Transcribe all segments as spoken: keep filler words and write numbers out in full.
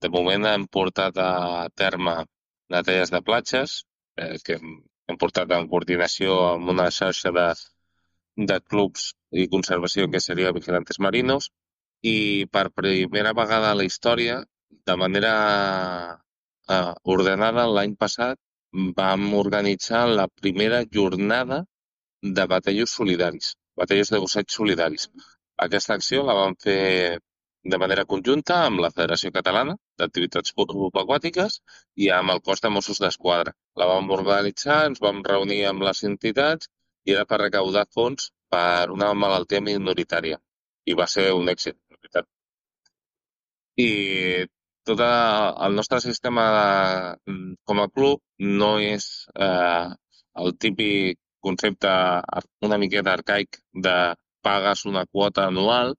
de moment hem portat a terme neteges de platges, eh, que hem, hem portat en coordinació amb una xarxa de, de clubs i conservació que seria Vigilantes Marinos, i per primera vegada a la història, de manera eh, ordenada, l'any passat vam organitzar la primera jornada de batallos solidaris, batallos de busseig solidaris. Aquesta acció la vam fer de manera conjunta amb la Federació Catalana d'Activitats Subaquàtiques i amb el cos de Mossos d'Esquadra. La vam organitzar, ens vam reunir amb les entitats i era per recaudar fons per una malaltia minoritària. I va ser un èxit, de veritat. I tot el nostre sistema de, com a club no és eh, el típic concepte una miqueta arcaic de pagues una quota anual,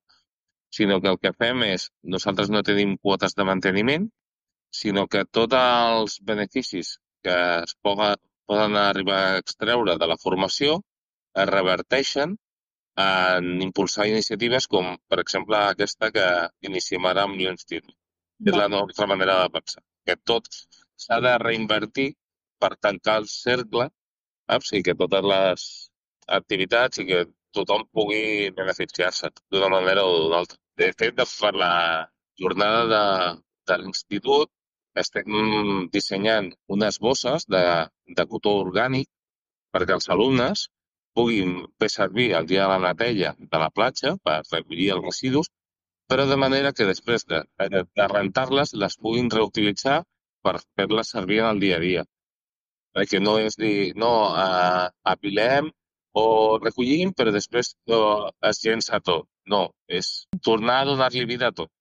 sinó que el que fem és, nosaltres no tenim quotes de manteniment, sinó que tots els beneficis que es poden, poden arribar a extreure de la formació es reverteixen en impulsar iniciatives com, per exemple, aquesta que iniciem ara amb l'Institut. És la nostra manera de pensar, que tot s'ha de reinvertir per tancar el cercle, saps? I que totes les activitats i que tothom pugui beneficiar-se d'una manera o d'una altra. De fet, per la jornada de, de l'institut estem dissenyant unes bosses de, de cotó orgànic perquè els alumnes puguin fer servir el dia de la neteja de la platja per recollir els residus, però de manera que després de, de, de rentar-les les puguin reutilitzar per fer-les servir en el dia a dia. Perquè no és dir, no, eh, apilem o recollim, però després no, es llença tot. No, és tornar a donar-li vida a tot.